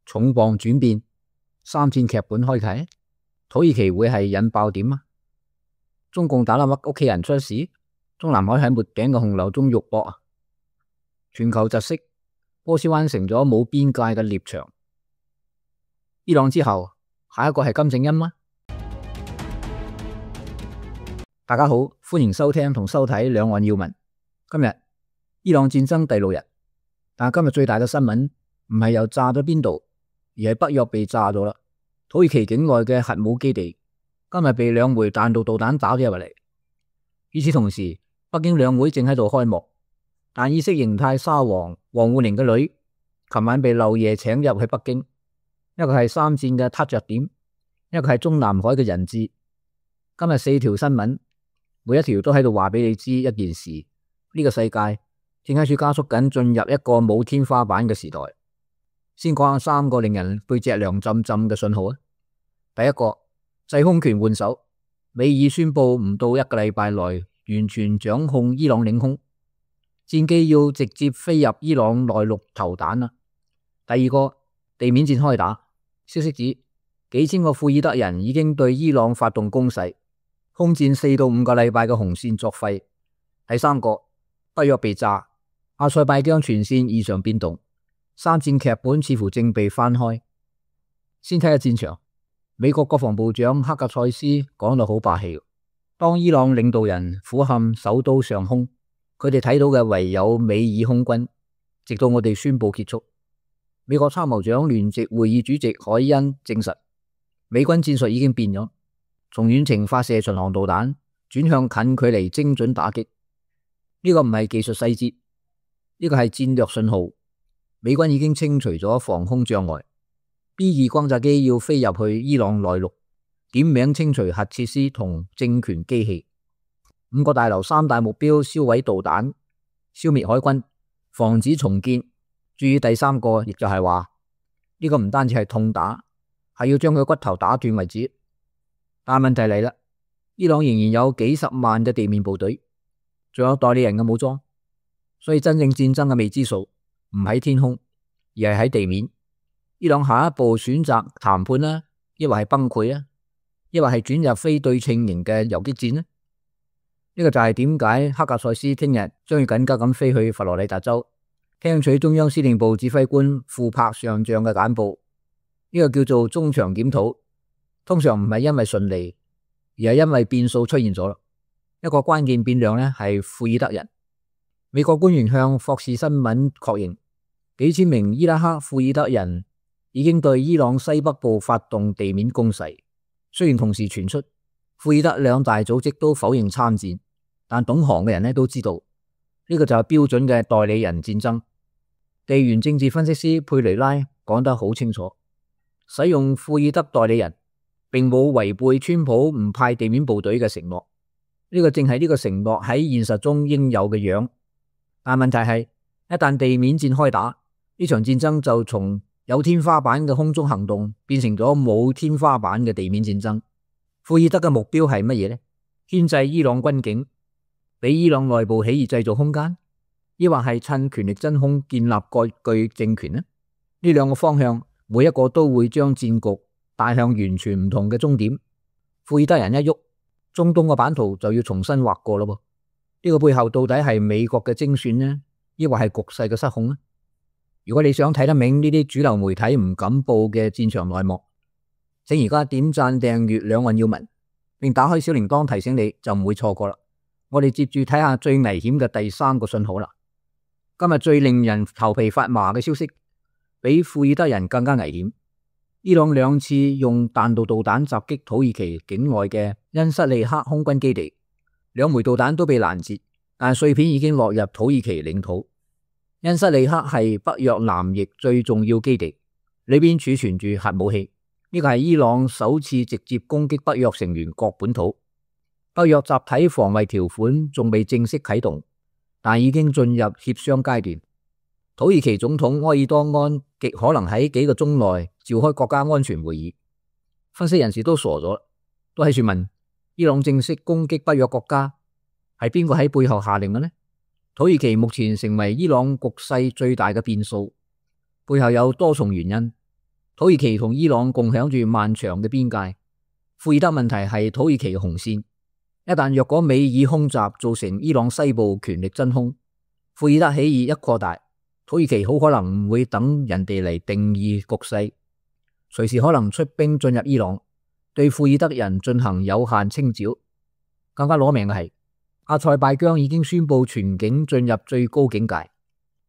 重磅轉變，三戰劇本開啟，土耳其會係引爆點啊！中共打冧屋企人出事，中南海喺沒頂嘅洪流中肉搏啊！全球窒息，波斯灣成咗冇邊界嘅獵場。伊朗之後，下一個係金正恩嗎？大家好，歡迎收聽同收睇兩岸要聞。今日伊朗戰爭第6日，但係今日最大嘅新聞唔係又炸咗邊度，而係北約被炸咗啦。土耳其境內嘅核武基地今日被2枚彈道導彈打咗入嚟。與此同時，北京兩會正喺度開幕，但意識形態沙皇王滬寧嘅女琴晚被漏夜請入去北京，一個係三戰嘅撻着點，一個係中南海嘅人質。今日4條新聞，每一條都喺度話俾你知一件事：呢個世界正喺處加速緊進入一個冇天花板嘅時代。先講下3個令人背脊涼浸浸嘅信號啊！第一個，制空權換手，美爾宣布唔到1個禮拜內完全掌控伊朗領空，戰機要直接飛入伊朗內陸投彈啦。第二個，地面戰開打，消息指幾千個庫爾德人已經對伊朗發動攻勢，空戰4到5個禮拜嘅紅線作廢。第三個，北約被炸，阿塞拜疆全線異常變動，三戰劇本似乎正被翻開。先睇下戰場，美國國防部長克格塞斯講到好霸氣，當伊朗領導人俯瞰首都上空，佢哋睇到嘅唯有美爾空軍，直到我哋宣布結束。美國參謀長聯席會議主席海恩證實，美軍戰術已經變咗，從遠程發射巡航導彈轉向近距離精準打擊。呢個唔係技術細節，呢個係戰略信號。美軍已經清除咗防空障礙， B2 轟炸機要飛入去伊朗內陸，點名清除核設施同政權機器。5個大樓3大目標銷毀導彈，消滅海軍，防止重建。注意第3個，亦就係話呢個唔單止係痛打，係要將佢骨頭打斷為止。但問題嚟啦，伊朗仍然有幾十萬嘅地面部隊，仲有代理人嘅武裝，所以真正戰爭嘅未知數唔喺天空，而係喺地面。伊朗下一步選擇談判啦，抑或係崩潰啊，抑或係轉入非對稱型嘅游擊戰呢？呢個就係點解克格塞斯聽日將要緊急咁飛去佛羅里達州，聽取中央司令部指揮官庫柏上將嘅簡報。呢個叫做中場檢討，通常唔係因為順利，而係因為變數出現咗啦。一個關鍵變量呢係庫爾德人。美國官員向霍士新聞確認，幾千名伊拉克庫爾德人已經對伊朗西北部發動地面攻勢。雖然同時傳出庫爾德2大組織都否認參戰，但懂行嘅人都知道呢個就係標準嘅代理人戰爭。地緣政治分析師佩雷拉講得好清楚，使用庫爾德代理人並冇違背川普唔派地面部隊嘅承諾，呢個正係呢個承諾喺現實中應有嘅樣。但問題係，一旦地面戰開打，呢場戰爭就從有天花板嘅空中行動變成咗冇天花板嘅地面戰爭。庫爾德嘅目標係乜嘢呢？牽制伊朗軍警，俾伊朗內部起義製造空間，抑或係趁權力真空建立割據政權呢？呢2個方向，每一個都會將戰局帶向完全唔同嘅終點。庫爾德人一喐，中東嘅版圖就要重新畫過咯。呢個背後到底係美國嘅精算呢，抑或係局勢嘅失控呢？如果你想睇得明呢啲主流媒體唔敢報嘅戰場內幕，請而家點讚訂閱兩岸要聞，並打開小鈴鐺提醒你，就唔會錯過啦。我哋接住睇下最危險嘅第3個信號啦。今日最令人頭皮發麻嘅消息，比庫爾德人更加危險。伊朗2次用彈道導彈襲擊土耳其境外嘅恩塞利克空軍基地，2枚導彈都被攔截，但碎片已經落入土耳其領土。恩塞利克係北約南翼最重要基地，裏邊儲存住核武器。呢個係伊朗首次直接攻擊北約成員國本土。北約集體防衛條款仲未正式啟動，但已經進入協商階段。土耳其總統埃爾多安極可能喺幾個鐘內召開國家安全會議。分析人士都傻咗，都喺處問：伊朗正式攻擊北約國家，係邊個喺背後下令嘅呢？土耳其目前成為伊朗局勢最大嘅變數，背後有多重原因。土耳其同伊朗共享住漫長嘅邊界，庫爾德問題係土耳其嘅紅線。一旦若果美以空襲造成伊朗西部權力真空，庫爾德起義一擴大，土耳其好可能唔會等人哋嚟定義局勢，隨時可能出兵進入伊朗，對庫爾德人進行有限清剿。更加攞命嘅係，阿塞拜疆已經宣布全境進入最高境界，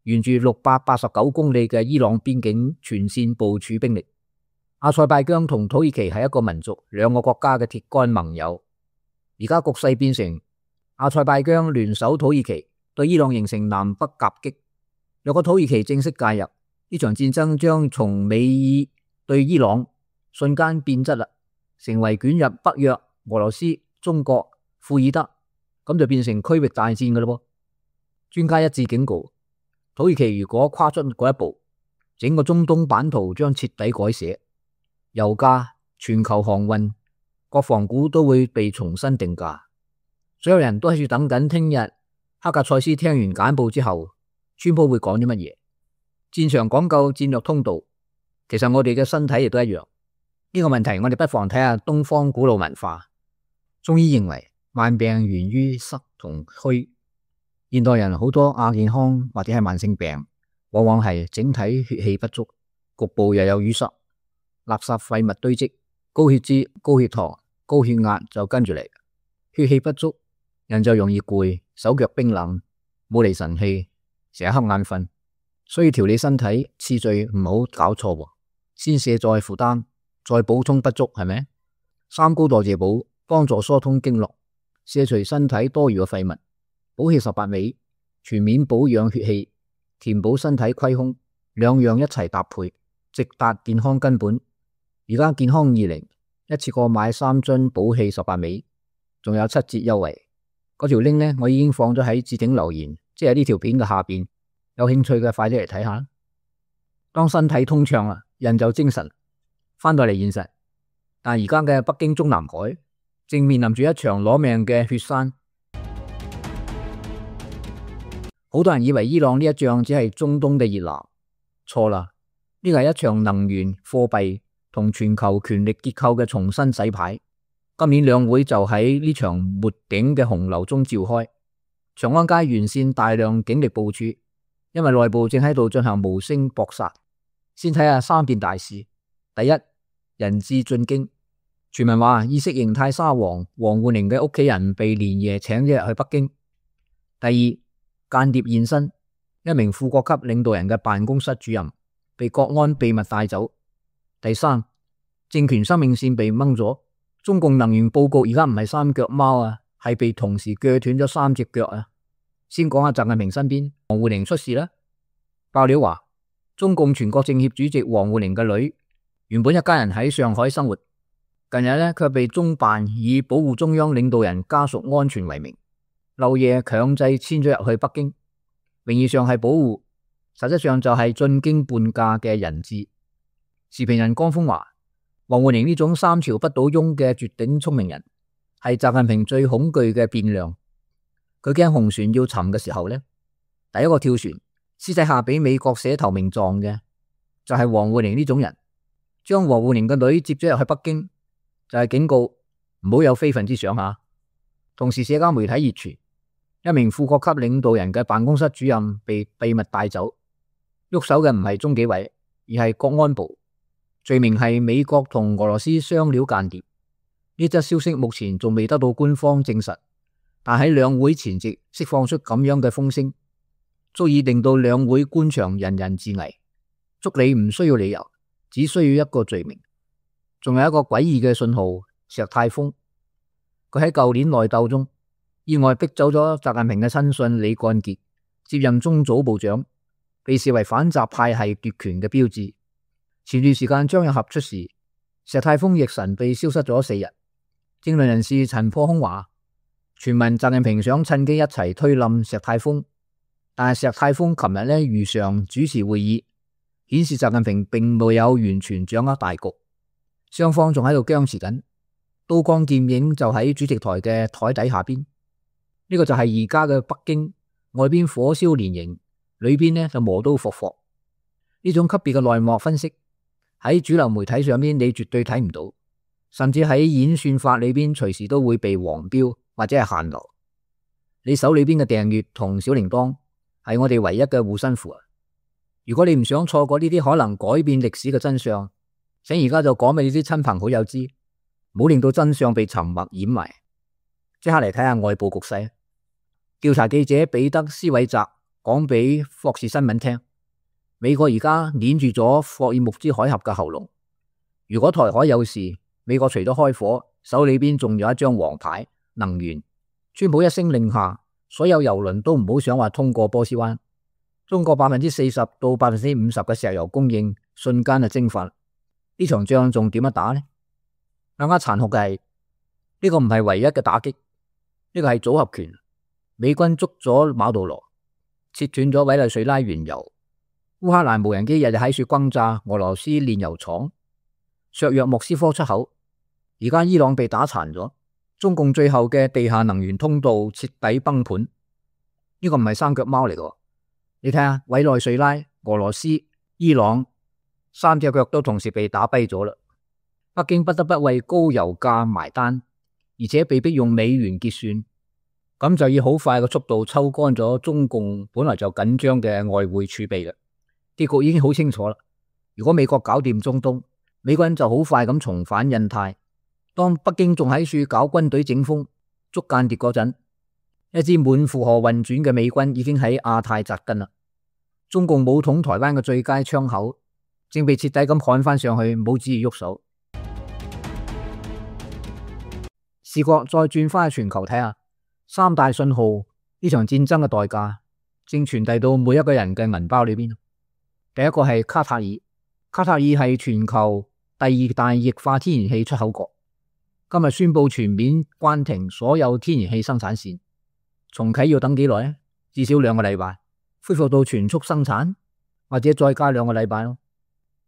沿住689公里嘅伊朗邊境全線部署兵力。阿塞拜疆同土耳其係一個民族、兩個國家嘅鐵桿盟友。而家局勢變成阿塞拜疆聯手土耳其對伊朗形成南北夾擊。若果土耳其正式介入，呢場戰爭將從美伊對伊朗瞬間變質啦，成為捲入北約、俄羅斯、中國、庫爾德，咁就變成區域大戰嘅咯。專家一致警告，土耳其如果跨出嗰一步，整個中東版圖將徹底改寫，油價、全球航運、國防股都會被重新定價。所有人都喺度等緊聽日黑格塞斯聽完簡報之後，川普會講啲乜嘢？戰場講究戰略通道，其實我哋嘅身體亦都一樣。呢個問題我哋不妨睇下東方古老文化。中醫認為萬病源於濕同虛，現代人好多亞健康或者係慢性病，往往係整體血氣不足，局部又有淤塞，垃圾廢物堆積，高血脂、高血糖、高血壓就跟住嚟。血氣不足，人就容易攰，手腳冰冷，冇嚟神氣，成日瞌眼瞓。所以調理身體次序唔好搞錯，先卸載負擔，再補充不足，係咪？三高代謝補幫助疏通經絡，卸除身體多餘嘅廢物，補氣18味，全面保養血氣，填補身體虧空，兩樣一齊搭配，直達健康根本。而家健康20一次過買3樽補氣18味，仲有7折優惠。嗰條 link 呢，我已經放咗喺置頂留言，即係呢條片嘅下邊。有興趣嘅快啲嚟睇下。當身體通暢啦，人就精神，翻到嚟現實。但而家嘅北京中南海正面臨住一場攞命嘅血栓。好多人以為伊朗呢一仗只係中東嘅熱鬧，錯啦，呢個係一場能源、貨幣同全球權力結構嘅重新洗牌。今年兩會就喺呢場沒頂嘅洪流中召開，長安街沿線大量警力部署，因為內部正喺度進行無聲搏殺。先睇下3件大事。第一，人質進京，傳聞話意識形態沙皇王滬寧嘅屋企人被連夜請咗入去北京。第二，間諜現身，一名副國級領導人嘅辦公室主任被國安秘密帶走。第三，政權生命線被掹咗，中共能源報告而家唔係3腳貓啊，係被同時鋸斷咗3隻腳啊。先講下習近平身邊，王滬寧出事啦。爆料話，中共全國政協主席王滬寧嘅女原本一家人喺上海生活，近日呢卻被中辦以保護中央領導人家屬安全為名，漏夜強制遷咗入去北京，名義上係保護，實質上就係進京伴駕嘅人質。時評人江峰話，王滬寧呢種3朝不倒翁嘅絕頂聰明人，係習近平最恐懼嘅變量。佢驚紅船要沉嘅時候呢，第一個跳船私底下俾美國寫投名狀嘅就係王滬寧呢種人。將王滬寧嘅女接咗入去北京，就係警告唔好有非分之想下。同時社交媒體熱傳一名副國級領導人嘅辦公室主任被秘密帶走，喐手嘅唔係中紀委，而係國安部，罪名係美國同俄羅斯雙料間諜。呢則消息目前仲未得到官方證實，但喺兩會前夕釋放出咁樣嘅風聲，足以令到兩會官場人人自危。捉你唔需要理由，只需要一個罪名。仲有一個詭異嘅信號，石泰峰，佢喺舊年內鬥中意外逼走咗習近平嘅親信李幹傑，接任中組部長，被視為反習派系奪權嘅標誌。前段時間張又俠出事，石泰峰亦神秘消失咗4日。政論人士陳破空話，傳聞習近平想趁機一齊推冧石泰峰，但係石泰峰琴日如常主持會議，顯示習近平並沒有完全掌握大局，雙方仲喺度僵持緊，刀光劍影就喺主席台嘅台底下邊。呢個就係而家嘅北京，外邊火燒連營，裏邊就磨刀霍霍。呢種級別嘅內幕分析喺主流媒體上邊你絕對睇唔到，甚至喺演算法裏邊隨時都會被黃標或者係限流。你手裏邊嘅訂閱同小鈴鐺係我哋唯一嘅護身符啊！如果你唔想錯過呢啲可能改變歷史嘅真相，請而家就講俾你啲親朋好友知，唔好令到真相被沉默掩埋。即刻嚟睇下外部局勢。調查記者彼得斯韋澤講俾霍士新聞聽，美國而家捏住咗霍爾木茲海峽嘅喉嚨。如果台海有事，美國除咗開火，手裏邊仲有一張王牌——能源。川普一聲令下，所有油輪都唔好想話通過波斯灣。中國40%到50%嘅石油供應瞬間就蒸發。呢場仗仲點樣打呢？更加殘酷嘅係，呢個唔係唯一嘅打擊，呢個係組合拳。美軍捉咗馬杜羅，切斷咗委內瑞拉原油。烏克蘭無人機日日喺處轟炸俄羅斯煉油廠，削弱莫斯科出口。而家伊朗被打殘咗，中共最後嘅地下能源通道徹底崩盤。呢個唔係三腳貓嚟嘅，你睇下委內瑞拉、俄羅斯、伊朗三隻腳都同時被打跛咗啦。北京不得不為高油價埋單，而且被迫用美元結算，咁就以好快嘅速度抽乾咗中共本來就緊張嘅外匯儲備啦。結局已經好清楚啦。如果美國搞掂中東，美國人就好快咁重返印太。當北京仲喺處搞軍隊整風捉間諜嗰陣，一支滿負荷運轉嘅美軍已經喺亞太扎根啦。中共武統台灣嘅最佳窗口正被徹底咁焊翻上去，冇旨意喐手。視角再轉翻去全球睇下，三大信號呢場戰爭嘅代價正傳遞到每一個人嘅銀包裏邊。第一個係卡塔爾，卡塔爾係全球第二大液化天然氣出口國，今日宣布全面關停所有天然氣生產線，重啟要等幾耐呢？至少2個禮拜，恢復到全速生產，或者再加2個禮拜咯。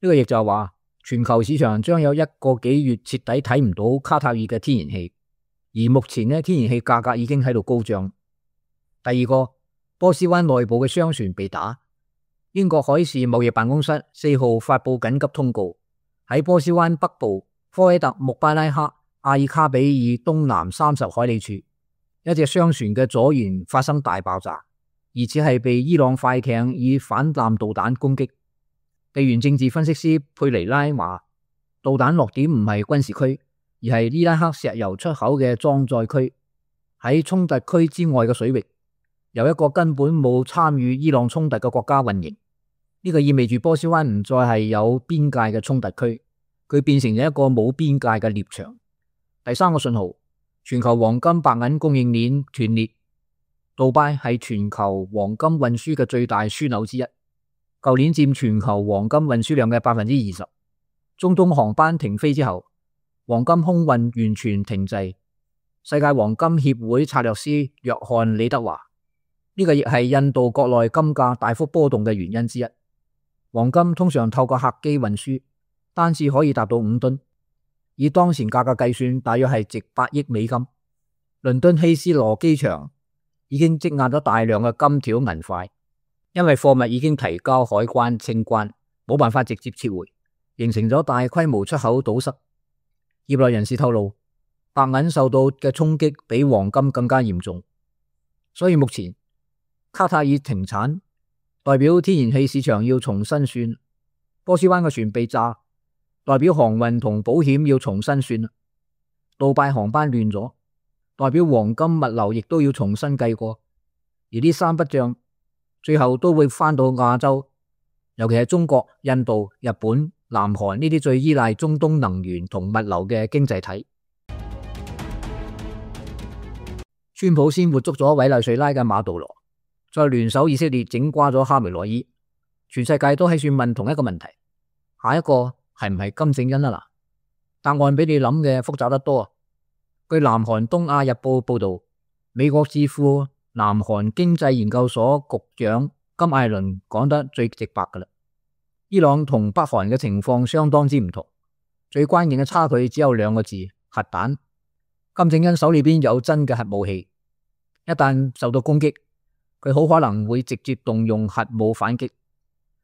呢個亦就係話，全球市場將有1個幾月徹底睇唔到卡塔爾嘅天然氣。而目前呢，天然氣價格已經喺度高漲。第二個，波斯灣內部嘅商船被打。英國海事貿易辦公室4號發佈緊急通告，喺波斯灣北部科威特穆巴拉克阿爾卡比爾東南30海里處，一隻商船嘅左舷發生大爆炸，而且係被伊朗快艇以反艦導彈攻擊。地緣政治分析師佩尼拉話，導彈落點唔係軍事區，而係伊拉克石油出口嘅裝載區，喺衝突區之外嘅水域，由一個根本冇參與伊朗衝突嘅國家運營。呢個意味住波斯灣唔再係有邊界嘅衝突區，佢變成咗一個冇邊界嘅獵場。第三個信號，全球黃金白銀供應鏈斷裂。杜拜係全球黃金運輸嘅最大樞紐之一，舊年佔全球黃金運輸量嘅20%。中東航班停飛之後，黃金空運完全停滯。世界黃金協會策略師約翰李德華，呢個亦係印度國內金價大幅波動嘅原因之一。黃金通常透過客機運輸，單次可以達到5噸，以當前價格計算，大約係值8億美金。倫敦希斯羅機場已經積壓咗大量嘅金條銀塊，因為貨物已經提交海關清關，冇辦法直接撤回，形成咗大規模出口堵塞。業內人士透露，白銀受到嘅衝擊比黃金更加嚴重，所以目前卡塔爾停產，代表天然氣市場要重新算；波斯灣嘅船被炸，代表航運同保險要重新算；杜拜航班亂咗，代表黃金物流亦都要重新計過。而呢3筆賬最後都會翻到亞洲，尤其係中國、印度、日本、南韓呢啲最依賴中東能源同物流嘅經濟體。川普先活捉咗委內瑞拉嘅馬杜羅，再聯手以色列整瓜咗哈梅內伊，全世界都喺處問同一個問題：下一個係唔係金正恩啊？答案比你諗嘅複雜得多啊！據南韓東亞日報報道，美國智庫南韓經濟研究所局長金艾倫講得最直白噶啦。伊朗同北韓嘅情況相當之唔同，最關鍵嘅差距只有2個字：核彈。金正恩手裏邊有真嘅核武器，一旦受到攻擊，佢好可能會直接動用核武反擊，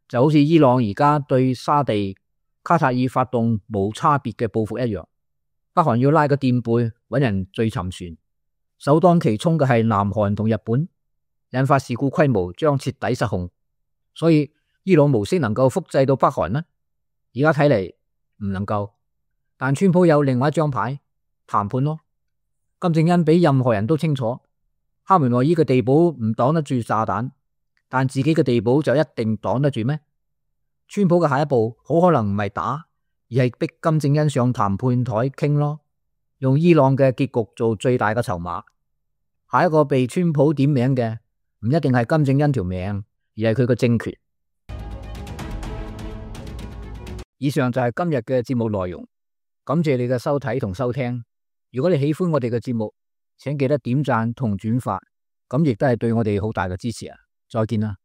就好似伊朗而家對沙地卡塔爾發動無差別嘅報復一樣，北韓要拉個墊背搵人墜沉船，首當其衝嘅係南韓同日本，引發事故規模將徹底失控。所以伊朗模式能夠複製到北韓呢？而家睇嚟唔能夠。但川普有另外一張牌，談判咯。金正恩比任何人都清楚，哈梅內伊嘅地堡唔擋得住炸彈，但自己嘅地堡就一定擋得住咩？川普嘅下一步好可能唔係打，而係逼金正恩上談判台傾咯，用伊朗嘅結局做最大嘅籌碼。下一個被川普點名嘅唔一定係金正恩條命，而係佢個政權。以上就係今日嘅節目內容，感謝你嘅收睇同收聽。如果你喜歡我哋嘅節目，請記得點讚同轉發，咁亦都係對我哋好大嘅支持啊！再見啦。